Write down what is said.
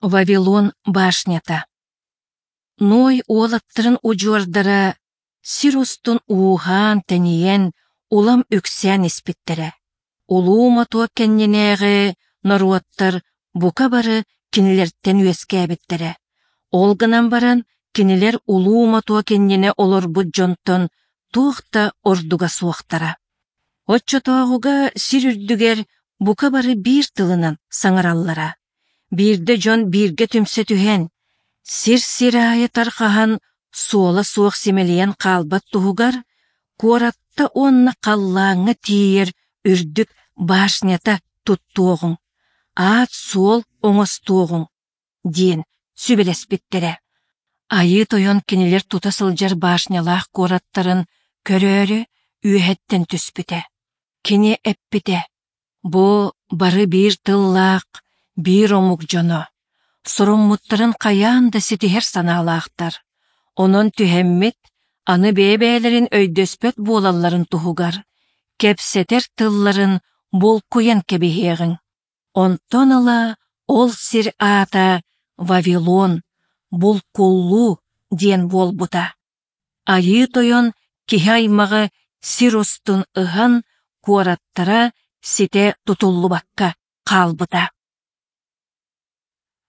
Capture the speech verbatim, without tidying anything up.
Вавилон башнята Ной уолаттарын удьуордара сир устун ууһаан-тэнийэн, улам үксээн испиттэрэ. Улуу Мотуок кэннинээҕи норуоттар бука бары кинилэртэн үөскээбиттэрэ. Ол гынан баран кинилэр Улуу Мотуок иннинэ олорбут дьонтон туох да ордуга суохтара. Оччотооҕуга сир үрдүгэр бука бары биир тылынан саҥараллара. Биирдэ дьон бииргэ түмсэ түһэн, сир-сир аайы тарҕаһан суола суох симэлийэн хаалбат туһугар, куоратта уонна халлааҥҥа тиийэр үрдүк башнята туттуоҕуҥ, аат-суол оҥостуоҕуҥ диэн сүбэлэспиттэрэ. Айыы Тойон кинилэр тута сылдьар башнялаах куораттарын көрөөрү үөһэттэн түспүтэ. Кини эппитэ: «Бу бары биир тыллаах, биир омук дьоно. Соруммуттарын хайаан да ситиһэр санаалаахтар. Онон түһэммит, аны бэйэ-бэйэлэрин өйдөспөт буолалларын туһугар, кэпсэтэр тылларын булкуйан кэбиһиэҕиҥ». Онтон ыла ол сир аата Вавилон, булкуллуу диэн буолбута. Айыы Тойон киһи аймаҕы сир устун ыһан, куораттара ситэ тутуллубакка хаалбыта.